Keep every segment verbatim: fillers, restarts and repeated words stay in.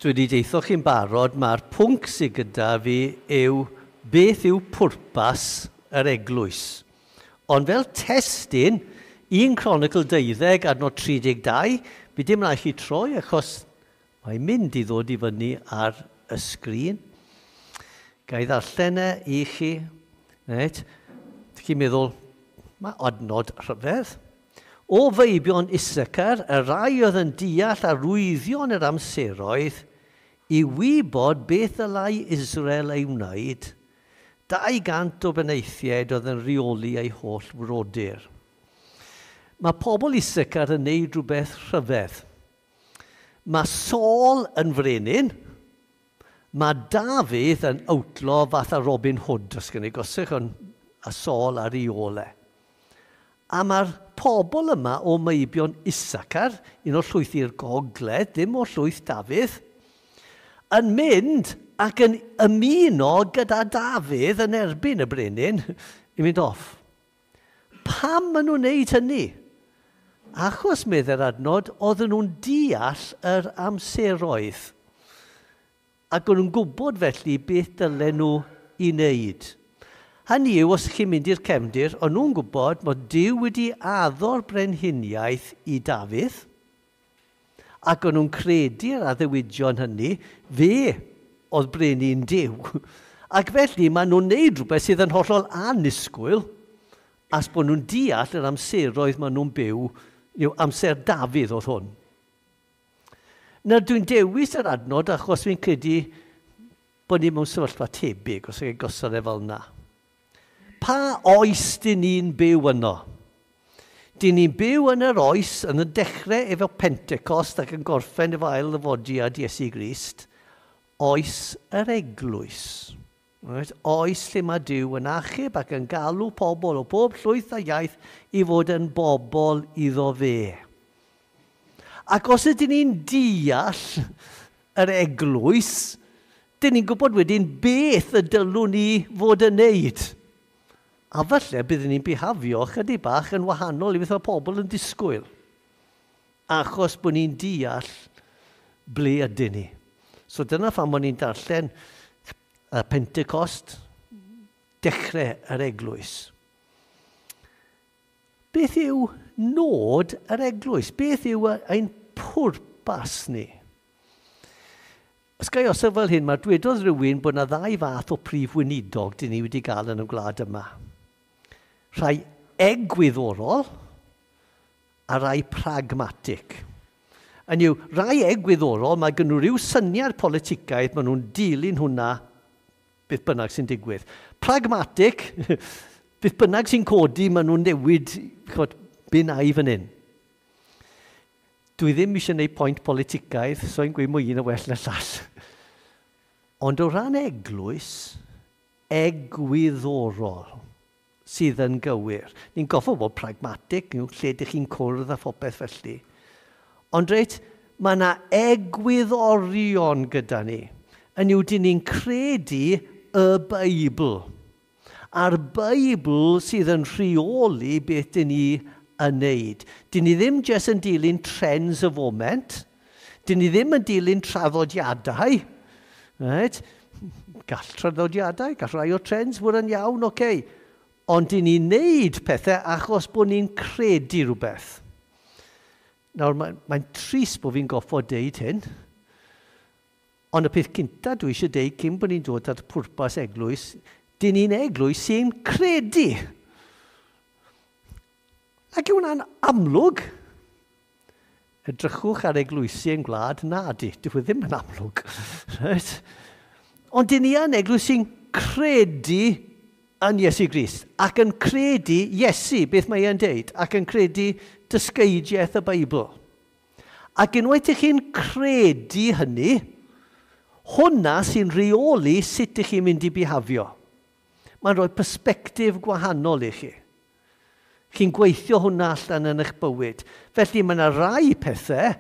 Dwi wedi deitho chi'n barod, mae'r pwnc sydd gyda fi yw beth yw pwrpas yr eglwys. Ond fel testun, un Cronicl deuddeg, adnod tri deg dau, fi dim rhaid chi troi achos mae'n mynd i ddod i fyny ar y sgrin. Ga i ddarllen e i chi. Reit. Chi'n meddwl, mae adnod rhyfedd. O feibion Issachar, y rai oedd yn deall arwyddion yr amseroedd, i wybod beth ddylai Israel ei wneud, dau gant o benaethiaid oedd yn rheoli ei holl frodyr. Mae pobl Issachar yn neud rhywbeth rhyfedd. Mae Saul yn frenin, mae Dafydd yn outlaw fath a Robin Hood, os gen i gosych, ond a Saul ar ei ôl e. A mae'r pobl yma o meibion Issachar, un o'r llwyth i'r gogledd, ddim o'r llwyth Dafydd, yn mynd ac yn ymuno gyda Dafydd yn erbyn y brenin i mynd off. Pam maen nhw'n neud hynny? Achos, meddai'r adnod, oedden nhw'n deall yr amseroedd. Ac o'n nhw'n gwybod felly beth dylen nhw i wneud. Hynny yw, os chi'n mynd i'r cefndir, o'n nhw'n gwybod bod Duw wedi addo'r brenhiniaeth i Dafydd, ac o'n nhw'n credu'r addewidion hynny, fe oedd brenin Duw. Ac felly maen nhw'n neud rhywbeth sydd yn hollol annisgwyl, as bod nhw'n deall yr amseroedd maen nhw'n byw, yw amser Dafydd oedd hwn. Nawr dwi'n dewis yr adnod achos fi'n credu bod ni mewn sefyllfa tebyg, os ydych chi'n gosod e fel yna. Pa oes dyn ni'n byw yno? Dyn ni'n byw yn yr oes yn y dechrau efo Pentecost ac yn gorffen efo ail ddyfodiad Iesu Grist, oes yr eglwys. Right? Oes lle mae Duw yn achub ac yn galw pobl o bob llwyth a iaith i fod yn bobl iddo fe. Ac os ydyn ni'n deall yr eglwys, dyn ni'n gwybod wedyn beth y dylwn ni fod yn neud. A falle byddwn ni'n bihafio chydig bach yn wahanol i beth mae pobl yn disgwyl. Achos bod ni'n deall ble ydyn ni. So dyna pham bod ni'n darllen y Pentecost, dechrau yr eglwys. Beth yw nod yr eglwys? Beth yw ein pwrpas ni? Os ga i osod fel hyn, mae dwedodd rhywun bod yna ddau fath o prif weinidog dyn ni wedi gael yn y gwlad yma. Rhai egwyddorol a rhai pragmatic. Hynny yw, rhai egwyddorol, mae gen nhw ryw syniad politicaidd, maen nhw'n dilyn hwnna beth bynnag sy'n digwydd. Pragmatic, beth bynnag sy'n codi, maen nhw'n newid, chod, be na i fan hyn. Dwi ddim eisiau gwneud pwynt politicaidd, so i'n gweud mwy un o well na llall. Ond o ran eglwys, egwyddorol sydd yn gywir. Ni'n goffo bod pragmatic, lle ydych chi'n cwrdd a phopeth felly. Ond reit, mae yna egwyddorion gyda ni. Yn yw, dyn ni'n credu y Beibl. A'r Beibl sydd yn rheoli beth dyn ni yn neud. Dyn ni ddim jyst yn dilyn trends y foment. Dyn ni ddim yn dilyn traddodiadau. Right? Gall traddodiadau, gall rhai o trends fod yn iawn, oce. Okay. Ond dyn ni'n neud pethau achos bod ni'n credu rhywbeth. Nawr, mae'n mae trist bod fi'n goffod deud hyn, ond y peth cynta dwi eisiau deud cyn bod ni'n dod at pwrpas eglwys, dyn ni'n eglwys sy'n credu. Ac yw hwnna'n amlwg? Edrychwch ar eglwysi yn gwlad, na di, dyw e ddim yn amlwg. Right? Ond dyn ni yn eglwys sy'n credu yn Iesu Grist, ac yn credu Iesu, beth mae e'n deud, ac yn credu dysgeidiaeth y Beibl. Ac unwaith ych chi'n credu hynny, hwnna sy'n rheoli sut ych chi'n mynd i bihafio. Mae'n rhoi persbectif gwahanol i chi. Chi'n gweithio hwnna allan yn eich bywyd. Felly mae yna rai pethau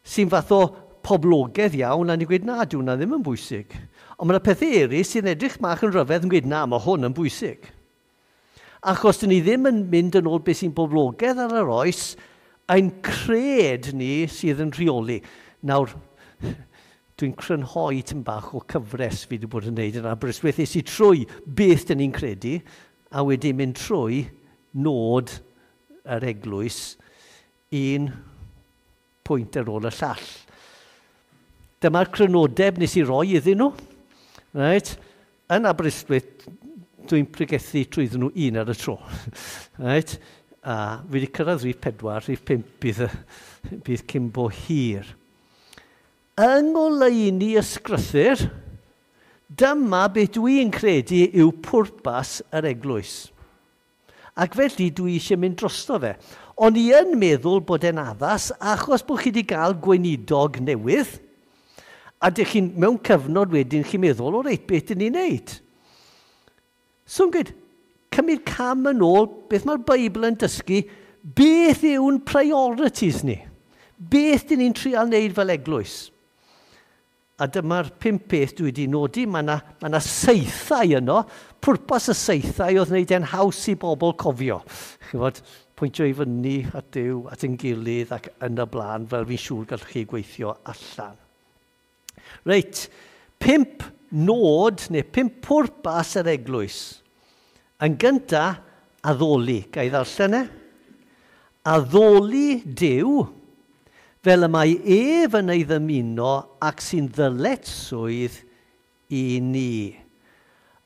sy'n fath o poblogaidd iawn, a ni'n gweud, na, dyw hwnna ddim yn bwysig. Ond mae yna pethau eraill sy'n edrych mach yn rhyfedd yn gweud, na, mae hwn yn bwysig. Achos dyn ni ddim yn mynd yn ôl beth sy'n boblogaidd ar yr oes, ein cred ni sydd yn rheoli. Nawr, Dwi'n crynhoi tym bach o cyfres fi wedi bod yn gwneud yn Aberystwyth. Es i trwy beth dyn ni'n credu, a wedi mynd trwy nod yr eglwys un pwynt ar ôl y llall. Dyma'r crynodeb nes i roi iddyn nhw. Right? Yn Aberystwyth, dwi'n pregethu trwyddyn nhw un ar y tro. Right? A fi wedi cyrraedd rhif pedwar, rhif pump bydd, bydd cyn bo hir. Yng ngoleuni ysgrythur, dyma beth dwi'n credu yw pwrpas yr eglwys. Ac felly dwi eisiau mynd drosto fe. O'n i yn meddwl bod e'n addas achos bod chi wedi cael gweinidog newydd, a dych chi'n mewn cyfnod wedyn chi'n meddwl, o reit, beth dyn ni'n neud? So yn gweud, cymryd cam yn ôl, beth mae'r Beibl yn dysgu, beth yw'n priorities ni? Beth dyn ni'n trial wneud fel eglwys? A dyma'r pump peth dwi wedi nodi, mae yna, mae yna saethau yno. Pwrpas y saethau oedd wneud e'n haws i bobl cofio. Chymod, pwyntio i fyny at Duw, at ein gilydd ac yn y blaen, fel fi'n siŵr gallwch chi gweithio allan. Reit, pump nod neu pump pwrpas yr eglwys. Yn gynta, addoli. Ga i ddarllen e? Addoli Duw, fel y mae ef yn ei ddymuno ac sy'n ddyletswydd i ni.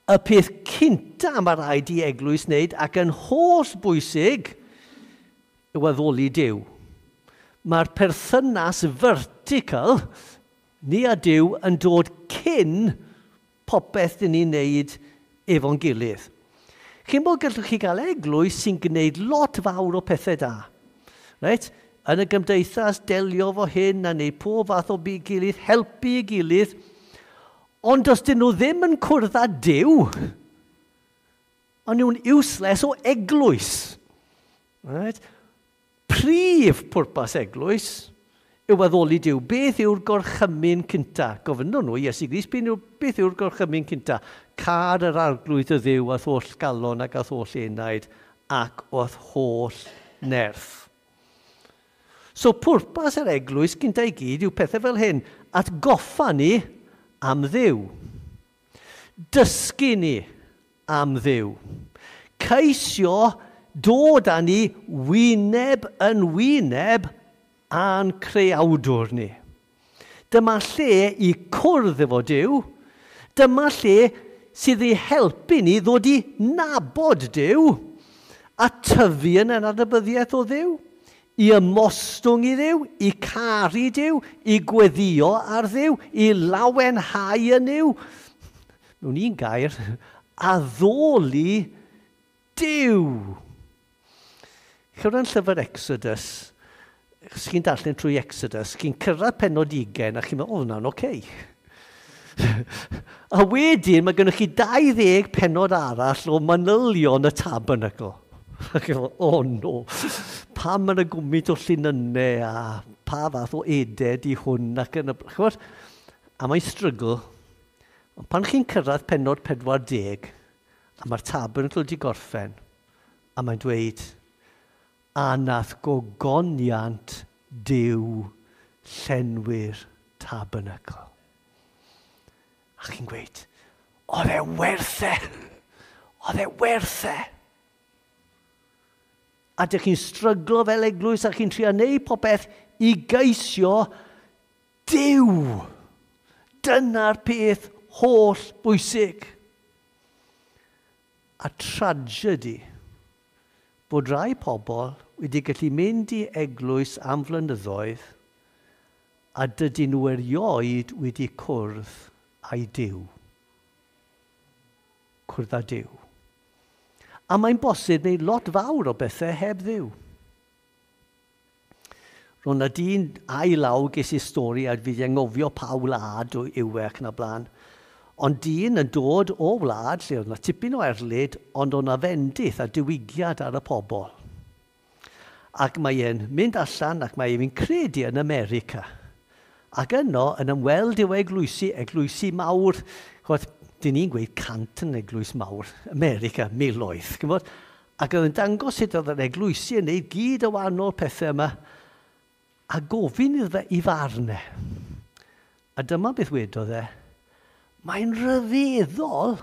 Y peth cynta mae rhaid i eglwys wneud ac yn holl bwysig yw addoli Duw. Mae'r perthynas vertical, ni a Duw, yn dod cyn popeth dyn ni'n wneud efo'n gilydd. Chi'n bod gallwch chi gael eglwys sy'n gwneud lot fawr o pethau da. Reit? Yn y gymdeithas, delio fo hyn a wneud pob fath o byd gilydd, helpu ei gilydd. Ond os dyn nhw ddim yn cwrdd â Duw, ond nhw'n useless o eglwys. Right? Prif pwrpas eglwys yw addoli Duw. Beth yw'r gorchymyn cynta? Gofynnon nhw, Iesu Grist, beth yw'r gorchymyn cynta? Car yr arglwydd y Dduw a'th holl galon ac a'th holl enaid ac o'th holl nerth. So pwrpas yr eglwys gynta i gyd yw pethau fel hyn, atgoffa ni am Dduw. Dysgu ni am Dduw. Ceisio dod â ni wyneb yn wyneb a'n creawdwr ni. Dyma lle i cwrdd efo Duw. Dyma lle sydd i helpu ni ddod i nabod Duw a tyfu yn ein adnabyddiaeth o Dduw, i ymostwng i Dduw, i caru Duw, i gweddio ar Dduw, i lawenhau yn Duw. Mewn un gair, addoli Duw. Chyrra'n llyfr Exodus, os chi'n darllen trwy Exodus, chi'n cyrraedd pennod ugain a chi'n meddwl, o, hwnna'n oce. A wedyn mae gennych chi dau ddeg pennod arall o manylion y tabernacl. O no, pam mae'n y gwmyd o llinynnau a pa fath o eded i hwn ac yn y... Chymod, a mae'n strygl. Ond pan chi'n cyrraedd pennod pedwar deg, a mae'r tabernacl wedi gorffen, a mae'n dweud, a nath gogoniant Duw llenwi'r tabernacl. A chi'n gweud, oedd e werth e! Oedd e werth e! A dych chi'n stryglo fel eglwys a chi'n trio neud popeth i geisio Duw. Dyna'r peth holl bwysig. A tragedy bod rai pobl wedi gallu mynd i eglwys am flynyddoedd a dydyn nhw erioed wedi cwrdd â'i Duw. Cwrdd â Duw. A mae'n bosib wneud lot fawr o bethau heb Dduw. Roedd 'na dyn a'i law ges i stori a fi 'di anghofio pa wlad yw e ac yn y blaen. Ond dyn yn dod o wlad lle oedd 'na tipyn o erlid, ond oedd 'na fendith a diwygiad ar y pobl. Ac mae e'n mynd allan ac mae e'n credu yn America. Ac yno yn ymweld i'w eglwysi, eglwysi mawr, ch'mod, dyn ni'n gweud cant yn eglwys mawr, America, miloedd, ch'mod? Ac oedd yn dangos sut oedd yr eglwysi yn neud gyd o wahanol pethau yma, a gofyn iddo fe i farn e. A dyma beth wedodd e, mae'n rhyfeddol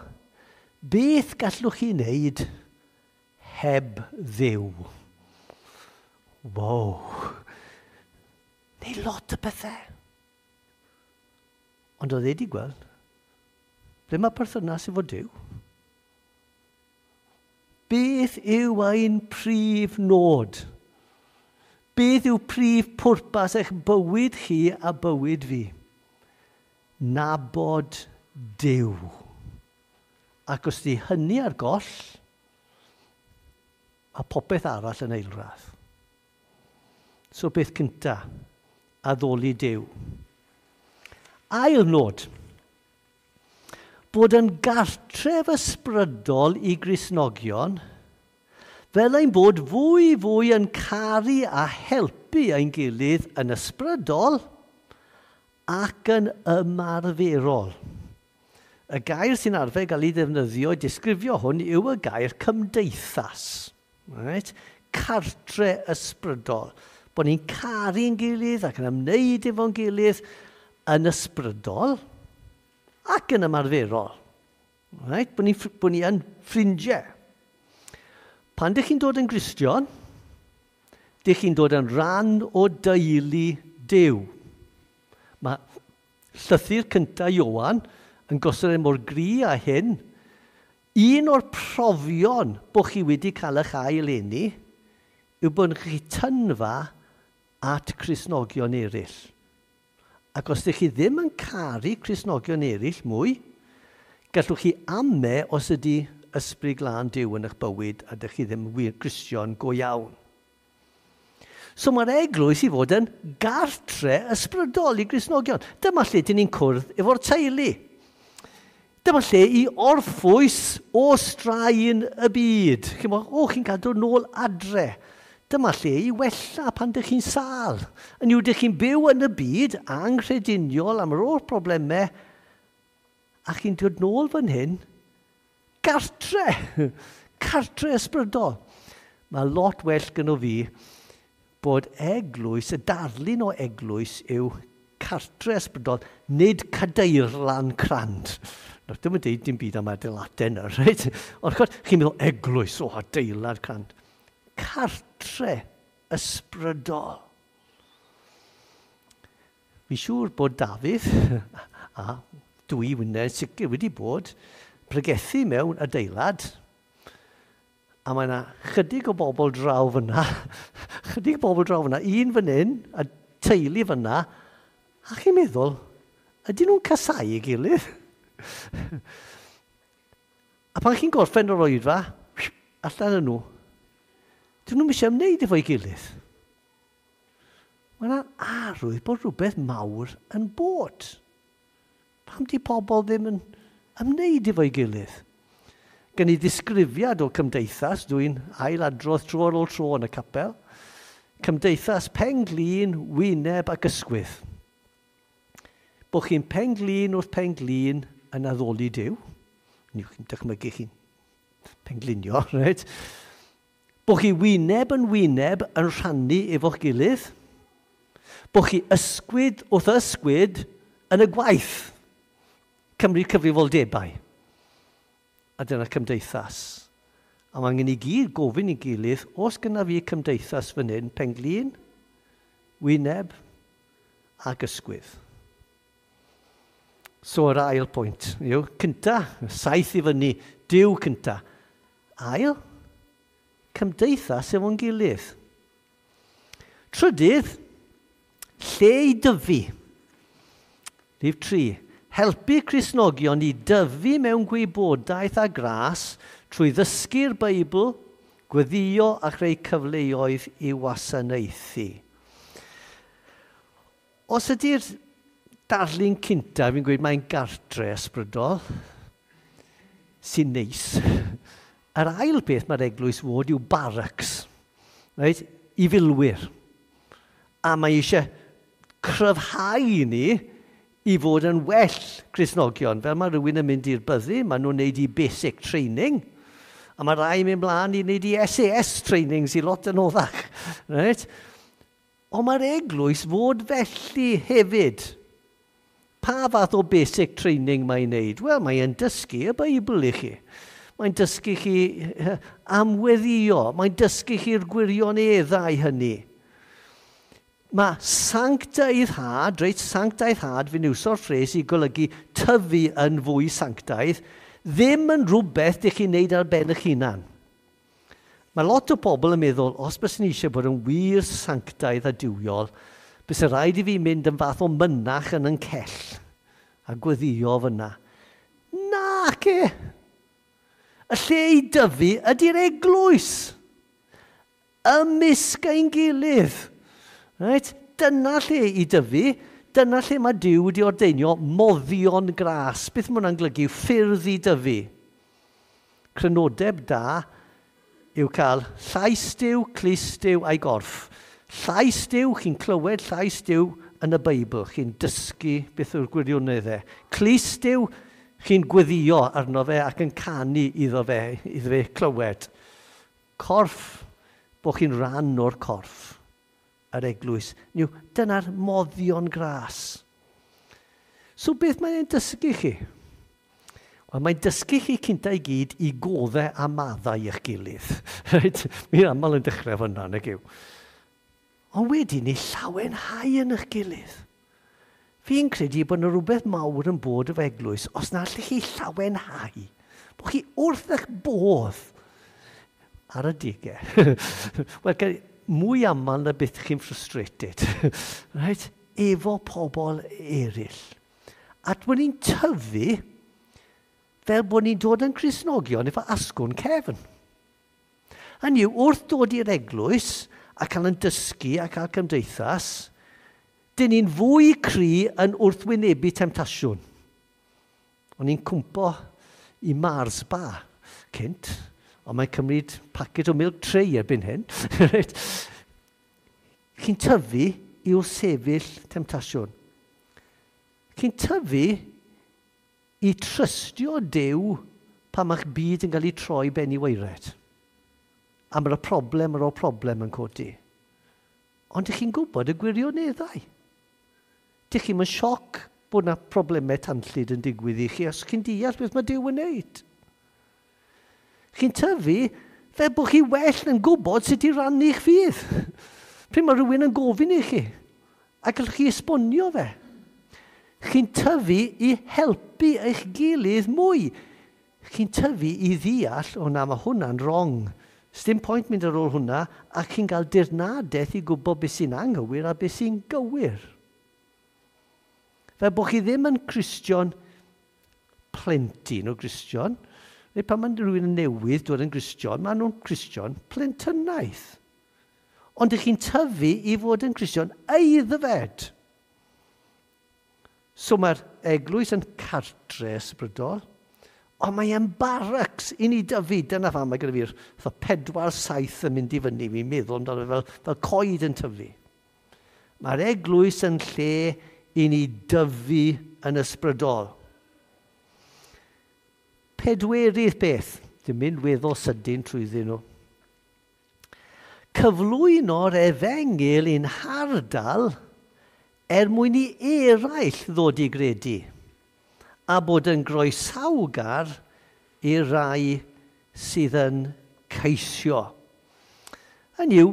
beth gallwch chi wneud heb Dduw. Wow. Neu lot o bethau. Ond oedd e wedi gweld, ble mae perthynas efo Duw? Beth yw ein prif nod? Beth yw prif pwrpas eich bywyd chi a bywyd fi? Nabod Duw. Ac os di hynny ar goll, a popeth arall yn eilradd. So beth cynta, addoli Duw. Ail nod, bod yn gartref ysbrydol i Gristnogion, fel ein bod fwy fwy yn caru a helpu ein gilydd yn ysbrydol ac yn ymarferol. Y gair sy'n arfer gael ei ddefnyddio i disgrifio hwn yw y gair cymdeithas. Right? Cartre ysbrydol. Bod ni'n caru'n gilydd ac yn ymwneud efo'n gilydd yn ysbrydol ac yn ymarferol. Right? Bod ni, bod ni yn ffrindiau. Pan dych chi'n dod yn Gristion, dych chi'n dod yn rhan o deulu Duw. Mae llythyr cyntaf Ioan yn gosod e mor gry â hyn. Un o'r profion bod chi wedi cael eich ail eni yw bod chi tynfa at Cristnogion eraill. Ac os ydych chi ddim yn caru Cristnogion eraill mwy, gallwch chi ame os ydy ysbryd glân Duw yn eich bywyd a ydych chi ddim wir Gristion go iawn. So mae'r eglwys i fod yn gartre ysbrydol i Gristnogion. Dyma lle dyn ni'n cwrdd efo'r teulu. Dyma lle i orffwys o straen y byd. Chi'n meddwl, o, chi'n cael dod nôl adre. Dyma lle i wella pan dych chi'n sâl. Yn yw, dych chi'n byw yn y byd anghrediniol am yr holl problemau, a chi'n dod nôl fan hyn, gartre, cartre ysbrydol. Mae lot well gyda fi bod eglwys, y darlun o eglwys yw cartre ysbrydol, nid cadeirlan crand. Nawr, dim yn deud dim byd am adeiladau yna, reit? Ond chod, chi'n meddwl eglwys, o, adeilad crand. Cartre ysbrydol. Fi siŵr bod Dafydd, a dwi wyneb sicr wedi bod, pregethu mewn adeilad, a mae yna chydig o bobl draw fyna, chydig o bobl draw fyna, un fan hyn, a teulu fyna, a chi'n meddwl, ydyn nhw'n casau ei gilydd? A pan chi'n gorffen o'r oedfa, allan yn nhw, dyn nhw'n eisiau ymwneud efo'i gilydd. Mae yna arwydd bod rhywbeth mawr yn bod. Pam di pobl ddim yn ymwneud efo'i gilydd? Gen i ddisgrifiad o cymdeithas, dwi'n ailadrodd tro ar ôl tro yn y capel. Cymdeithas pen-glin, wyneb ac ysgwydd. Bod chi'n pen-glin wrth pen-glin yn addoli Duw. Ni chi'n dychmygu chi'n penglinio, reit? Bod chi wyneb yn wyneb yn rhannu efo'ch gilydd. Bod chi ysgwyd wrth ysgwyd yn y gwaith. Cymru cyfrifoldebau. A dyna cymdeithas. A mae angen i gyd gofyn i gilydd, os gyna fi cymdeithas fan hyn, penglin, wyneb ac ysgwydd. So yr ail pwynt yw, cynta, saith i fyny, Duw cynta. Ail, cymdeithas efo'n gilydd. Trydydd, lle i dyfu. Rhif tri, helpu Cristnogion i dyfu mewn gwybodaeth a gras trwy ddysgu'r Beibl, gweddio a chreu cyfleoedd i wasanaethu. Os ydy'r darlun cynta, fi'n gweud mae'n gartre ysbrydol, sy'n neis. Yr ail beth mae'r eglwys fod yw barracks, right? I filwyr. A mae eisiau cryfhau ni i fod yn well Cristnogion. Fel mae rhywun yn mynd i'r byddin, maen nhw'n neud i basic training, a mae rai yn mynd mlaen i wneud i S A S training sy'n lot yn oddach. Right? Ond mae'r eglwys fod felly hefyd. Pa fath o basic training mae'n neud? Wel, mae'n dysgu y Beibl i chi. Mae'n dysgu chi am weddïo. Mae'n dysgu chi'r gwirioneddau hynny. Mae sanctaiddhad, reit, sanctaiddhad, fi'n iwso'r ffres i golygu tyfu yn fwy sanctaidd, ddim yn rhywbeth dych chi'n neud ar ben eich hunan. Mae lot o bobl yn meddwl, os bys ni eisiau bod yn wir sanctaidd a duwiol, bys rhaid i fi mynd yn fath o mynach yn yn cell a gweddïo fyna. Nac e! Y lle i dyfu ydy'r eglwys. Ymysg ein gilydd. Right? Dyna lle i dyfu. Dyna lle mae Duw wedi ordeinio moddion gras. Beth mae hwnna'n golygu? Ffyrdd i dyfu. Crynodeb da yw cael llais Duw, clust Duw a'i gorff. Llais Duw, chi'n clywed llais Duw yn y Beibl. Chi'n dysgu beth yw'r gwirioneddau. Clust Duw, chi'n gweddïo arno fe ac yn canu iddo fe, iddo fe clywed. Corff, bod chi'n rhan o'r corff, yr eglwys. Niw, dyna'r moddion gras. So beth mae'n dysgu chi? Wel, mae'n dysgu chi cynta i gyd i goddau a maddau eich gilydd. Right? Mi'n aml yn dechrau fyna, nag yw. Ond wedyn ni llawenhau yn eich gilydd. Fi'n credu bod yna rhywbeth mawr yn bod efo eglwys os na allwch chi llawenhau. Bod chi wrth eich bodd ar y digau. Wel, mwy aml na beth chi'n frustrated. Right? Efo pobl eraill. A bod ni'n tyfu fel bod ni'n dod yn Cristnogion efo asgwrn cefn. Hynny yw, wrth dod i'r eglwys a cael yn dysgu a cael cymdeithas, dyn ni'n fwy cry yn wrthwynebu temtasiwn. O'n i'n cwmpo i Mars Bar cynt, ond mae'n cymryd packet o milk tray erbyn hyn. Chi'n tyfu i wrthsefyll temtasiwn. Chi'n tyfu i trystio Duw pan mae'ch byd yn cael ei troi ben i waered. A mae'r problem ar ôl problem yn codi. Ond ydych chi'n gwybod y gwirioneddau. Dych chi'n mynd sioc bod yna problemau tanllyd yn digwydd i chi os chi'n deall beth mae Duw yn wneud. Chi'n tyfu fel bod chi well yn gwybod sut i rannu'ch ffydd. Pryd mae rhywun yn gofyn i chi a gallwch chi esbonio fe. Chi'n tyfu i helpu eich gilydd mwy. Chi'n tyfu i ddeall, o na, mae hwnna'n wrong. Sdim pwynt mynd ar ôl hwnna, a chi'n cael dirnadaeth i gwybod beth sy'n anghywir a beth sy'n gywir. Fel bod chi ddim yn Cristion plentyn o Gristion, neu pan mae rhywun yn newydd dod yn Gristion, maen nhw'n Cristion plentynaidd. Ond ydych chi'n tyfu i fod yn Cristion aeddfed. So mae'r eglwys yn cartre ysbrydol, ond mae e'n barracks i ni dyfu. Dyna pham mae gyda fi'r pedwar saith yn mynd i fyny, fi'n meddwl amdano fel, fel coed yn tyfu. Mae'r eglwys yn lle i ni dyfu yn ysbrydol. Pedwerydd beth, dwi'n mynd weddol sydyn trwyddyn nhw. Cyflwyno'r efengyl i'n hardal er mwyn i eraill ddod i gredu a bod yn groesawgar i rai sydd yn ceisio. Hynny yw,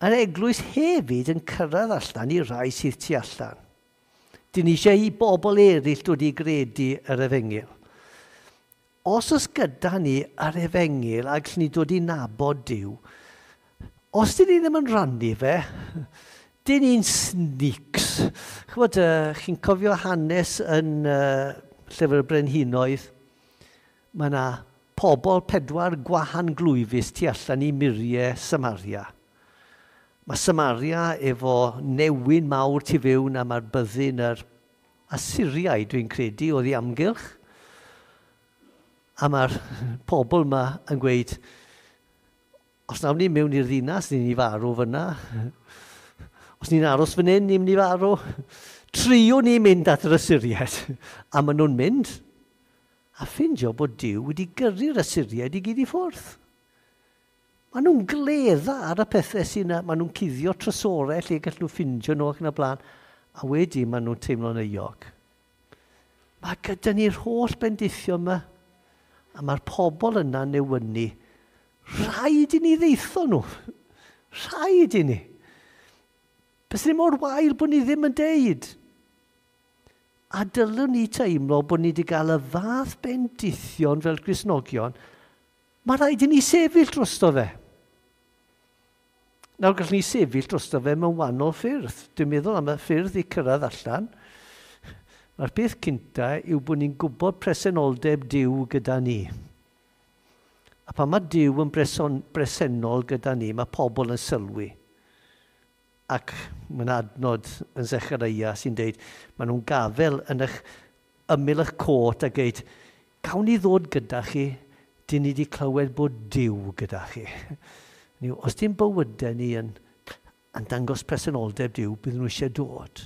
yr eglwys hefyd yn cyrraedd allan i rai sydd tu allan. Dyn ni eisiau i bobl eraill dod i gredu yr efengyl. Os oes gyda ni yr efengyl a gallwn ni dod i nabod Duw, os dyn ni ddim yn rannu fe, dyn ni'n sneaks. Chybod, uh, chi'n cofio hanes yn uh, Llyfr y Brenhinoedd? Mae yna pobl pedwar gwahan glwyfus tu allan i muriau Samaria. Mae Samaria efo newyn mawr tu fewn a mae'r byddin yr Asyriaid, dwi'n credu, oedd i amgylch. A mae'r pobl yma yn gweud, os nawn ni mewn i'r ddinas, ni'n i farw fyna. Os ni'n aros fan hyn, ni'n mynd i farw. Triwn ni mynd at yr Asyriaid. A maen nhw'n mynd. A ffindio bod Duw wedi gyrru'r Asyriaid i gyd i ffwrdd. Maen nhw'n gledda ar y pethau sy'n... Maen nhw'n cuddio trysorau lle gallen nhw ffindio nhw ac yn y blaen. A wedi maen nhw'n teimlo'n euog. Mae gyda ni'r holl bendithio yma, a mae'r pobl yna newynu. Rhaid i ni ddeitho nhw. Rhaid i ni. Bys ni mor wael bod ni ddim yn deud. A dylwn ni teimlo bod ni wedi cael y fath bendithion fel Cristnogion, mae rhaid i ni sefyll drosto fe. Nawr gallwn ni sefyll drosto fe mewn wahanol ffyrdd. Dwi'n meddwl am y ffyrdd i cyrraedd allan. Mae'r peth cynta yw bod ni'n gwybod presenoldeb Duw gyda ni. A pan mae Duw yn bresennol gyda ni, mae pobl yn sylwi. Ac mae'n adnod yn Zechariah sy'n deud, maen nhw'n gafel yn eich ymyl eich cot a geud, gawn ni ddod gyda chi, dyn ni wedi clywed bod Duw gyda chi. Os dim bywydau ni yn, yn dangos presenoldeb Duw, bydden nhw eisiau dod.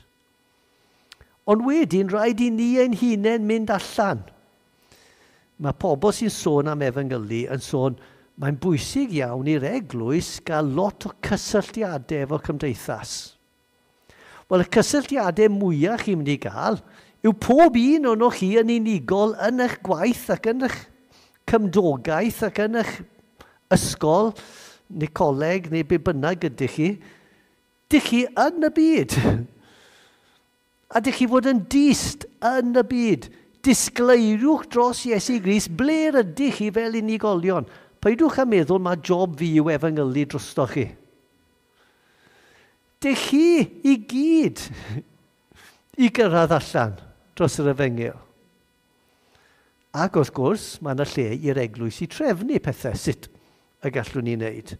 Ond wedyn, rhaid i ni ein hunain mynd allan. Mae pobl sy'n sôn am efengylu yn sôn, mae'n bwysig iawn i'r eglwys gael lot o cysylltiadau efo cymdeithas. Wel, y cysylltiadau mwyaf chi'n mynd i gael yw pob un o'n chi yn unigol yn eich gwaith ac yn eich cymdogaeth ac yn eich ysgol neu coleg neu be bynnag ydych chi. Dych chi yn y byd. A dych chi fod yn dyst yn y byd. Disgleiriwch dros Iesu Grist ble ydych chi fel unigolion. Peidiwch â meddwl mae job fi yw efengylu drosto chi. Dych chi i gyd i gyrraedd allan dros yr efengyl. Ac wrth gwrs, mae yna lle i'r eglwys i trefnu pethau sut y gallwn ni wneud.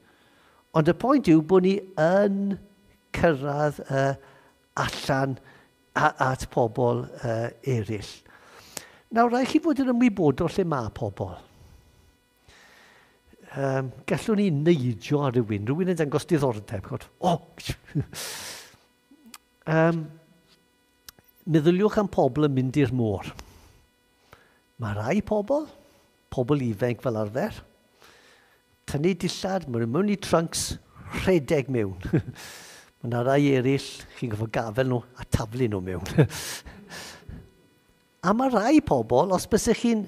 Ond y pwynt yw bod ni yn cyrraedd uh, allan at pobl uh, eraill. Nawr, rhaid chi fod yn ymwybodol lle mae pobl. Um, gallwn ni neidio ar rhywun, rhywun yn dangos diddordeb. O! um, meddyliwch am pobl yn mynd i'r môr. Mae rai pobl, pobl ifanc fel arfer, tynnu dillad, maen nhw mewn i trunks, rhedeg mewn. Mae yna rai eraill, chi'n gorfod gafel nhw a taflu nhw mewn. A mae rai pobl, os bysych chi'n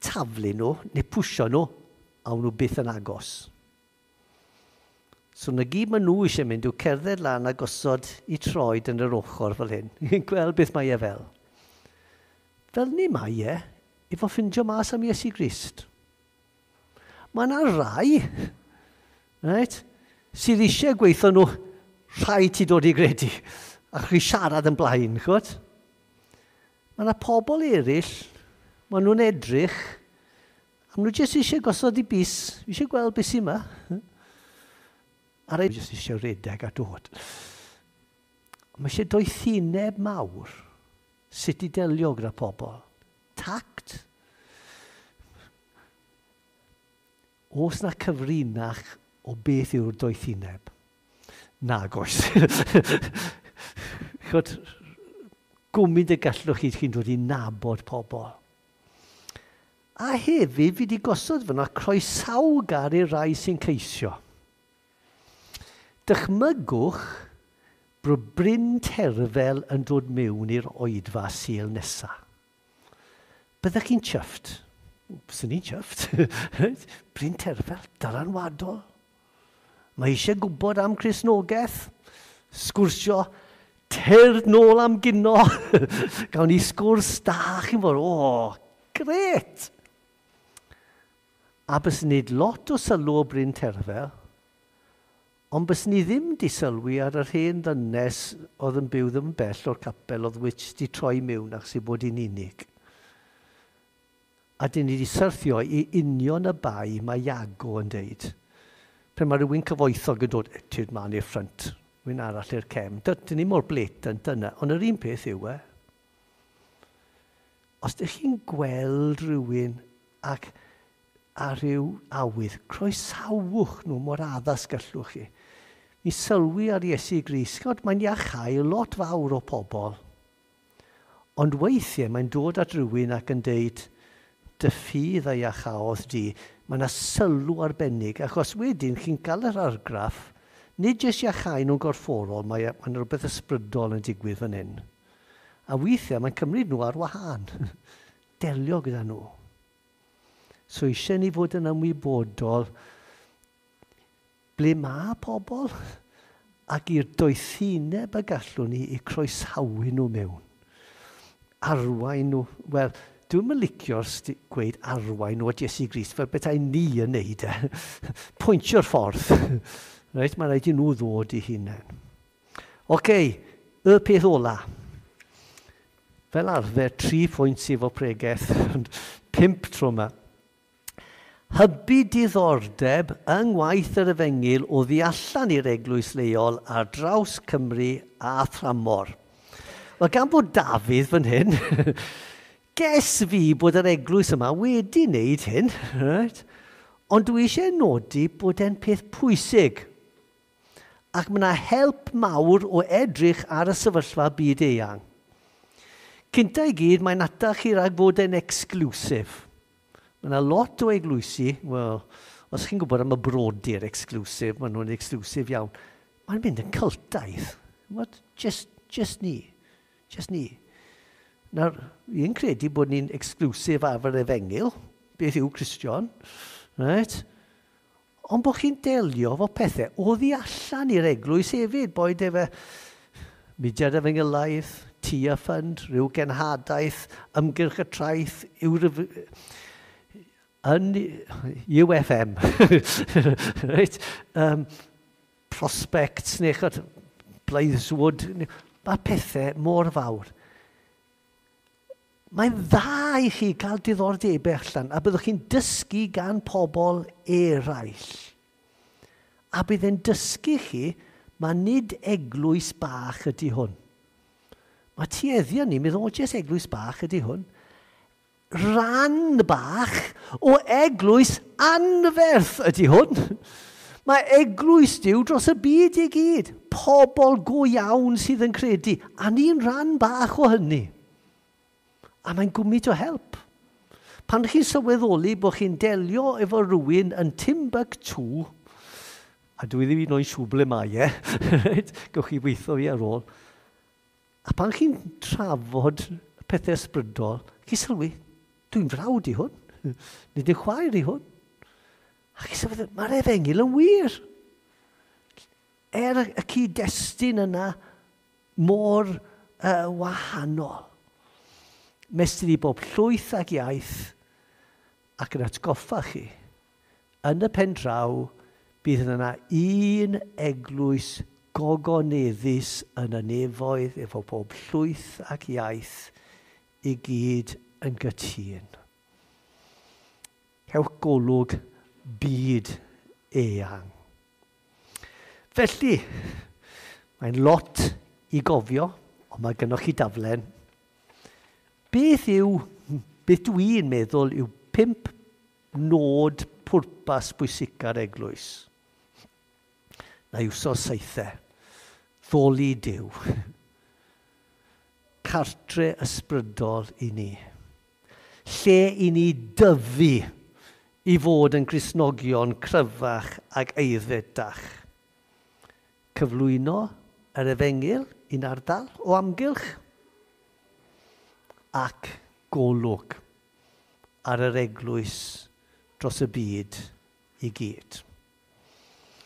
taflu nhw neu pwysio nhw, awn nhw byth yn agos. So na gyd maen nhw eisiau mynd yw cerdded lan a gosod i troed yn yr ochr fel hyn. Gweld beth mae e fel. Fel ni mae e, efo ffindio mas am Iesu Grist. Mae yna rai, right, sydd eisiau gweithio nhw, rhaid ti dod i gredu, a chi siarad yn blaen, chwbod? Mae yna pobl eraill, maen nhw'n edrych, a maen nhw jyst eisiau gosod i bys, eisiau gweld beth sy'n yma. A rai jyst eisiau redeg a dod. Mae eisiau doethineb mawr sut i delio gyda pobl. Tact. Oes na cyfrinach o beth yw'r doethineb? Nag oes. Chod, gwmyd y gallwch chi chi'n dod i nabod pobl. A hefyd, fi wedi gosod fyna croesawgar i'r rai sy'n ceisio. Dychmygwch bod Bryn Terfel yn dod mewn i'r oedfa Sul nesaf. Byddech chi'n chuffed? Byswn i'n chuffed. Bryn Terfel, dylanwadol. Mae eisiau gwybod am Cristnogaeth, sgwrsio, tyrd nôl am gino. Gawn ni sgwrs da, chi'n fod, o, gret! A bys ni lot o sylw o Bryn Terfel, ond bys ni ddim di sylwi ar yr hen ddynes oedd yn byw ddim bell o'r capel oedd witch di troi mewn achos ei bod hi'n unig. A dyn ni di syrthio i union y bai mae Iago yn deud. Pan mae rhywun cyfoethog yn dod, tyrd man i'r ffrynt, rhywun arall i'r cefn. Dyn ni mor blatant yna, ond yr un peth yw e. Os ydych chi'n gweld rhywun ac a rhyw awydd, croesawch nhw mor addas gallwch chi. Mi sylwi ar Iesu Grist, mae'n iachau lot fawr o pobl. Ond weithiau mae'n dod at rhywun ac yn deud, dy ffydd a iachaodd di, mae yna sylw arbennig, achos wedyn chi'n cael yr argraff, nid jyst iachau nhw'n gorfforol, mae yna rhywbeth ysbrydol yn digwydd fan hyn. A weithiau mae'n cymryd nhw ar wahân. Delio gyda nhw. So eisiau ni fod yn ymwybodol ble mae pobl ac i'r doethineb y gallwn ni i croesawu nhw mewn. Arwain nhw, wel, dwi'm yn licio'r gweud arwain nhw at Iesu Grist fel bethau ni yn neud e. Pwyntio'r ffordd. Reit, mae rhaid i nhw ddod i hunain. Oce, y peth ola. Fel arfer, tri phwynt sydd efo pregeth, ond pump tro yma. Hybu diddordeb yng ngwaith yr efengyl o ddi allan i'r eglwys leol ar draws Cymru a thramor. Wel, gan fod Dafydd fan hyn, ges fi bod yr eglwys yma wedi wneud hyn, right? Ond dwi eisiau nodi bod e'n peth pwysig. Ac mae yna help mawr o edrych ar y sefyllfa byd eang. Cynta i gyd, mae'n atal chi rhag fod yn exclusive. Mae yna lot o eglwysi, wel, os chi'n gwybod am y brodyr exclusive, maen nhw'n exclusive iawn, mae'n mynd yn cyltaidd. What? Just, just ni. Just ni. Nawr, fi'n credu bod ni'n exclusive ar yr efengyl, beth yw Cristion, right? Ond bod chi'n delio efo pethau o ddi allan i'r eglwys hefyd, boed efe mudiad efengylaidd, Tia Fund, rhyw genhadaeth, ymgyrch y traeth, yw'r yn U F M, right? um, Prospects, neu chod, Blythswood, mae pethau mor fawr. Mae'n dda i chi cael diddordebau allan, a byddwch chi'n dysgu gan pobl eraill. A bydd e'n dysgu chi, mae nid eglwys bach ydy hwn. Mae tueddion ni, meddwl, o, jyst eglwys bach ydy hwn. Rhan bach o eglwys anferth ydy hwn. Mae eglwys Duw dros y byd i gyd. Pobl go iawn sydd yn credu. A ni'n rhan bach o hynny. A mae'n gwmyd o help. Pan chi'n sylweddoli bod chi'n delio efo rhywun yn Timbuktu, a dwi ddim un o'i siŵr ble mae e, gewch chi weithio fi ar ôl, a pan chi'n trafod pethau ysbrydol, chi'n sylwi, dwi'n frawd i hwn, nid yn chwaer i hwn. A chi'n sylwi, mae'r efengyl yn wir. Er y cyd-destun yna mor uh, wahanol. Mestyn i bob llwyth ac iaith ac yn atgoffa chi. Yn y pen draw, bydd yna un eglwys gogoneddus yn y nefoedd efo bob llwyth ac iaith i gyd yn gytûn. Cewch golwg byd eang. Felly, mae'n lot i gofio, ond mae gennych chi daflen. Beth yw, beth dwi'n meddwl yw pump nod pwrpas bwysica'r eglwys? Na iwso saethau. Ddoli Duw. Cartre ysbrydol i ni. Lle i ni dyfu i fod yn Gristnogion cryfach ac aeddfedach. Cyflwyno yr efengyl i'n ardal o amgylch ac golwg ar yr eglwys dros y byd i gyd.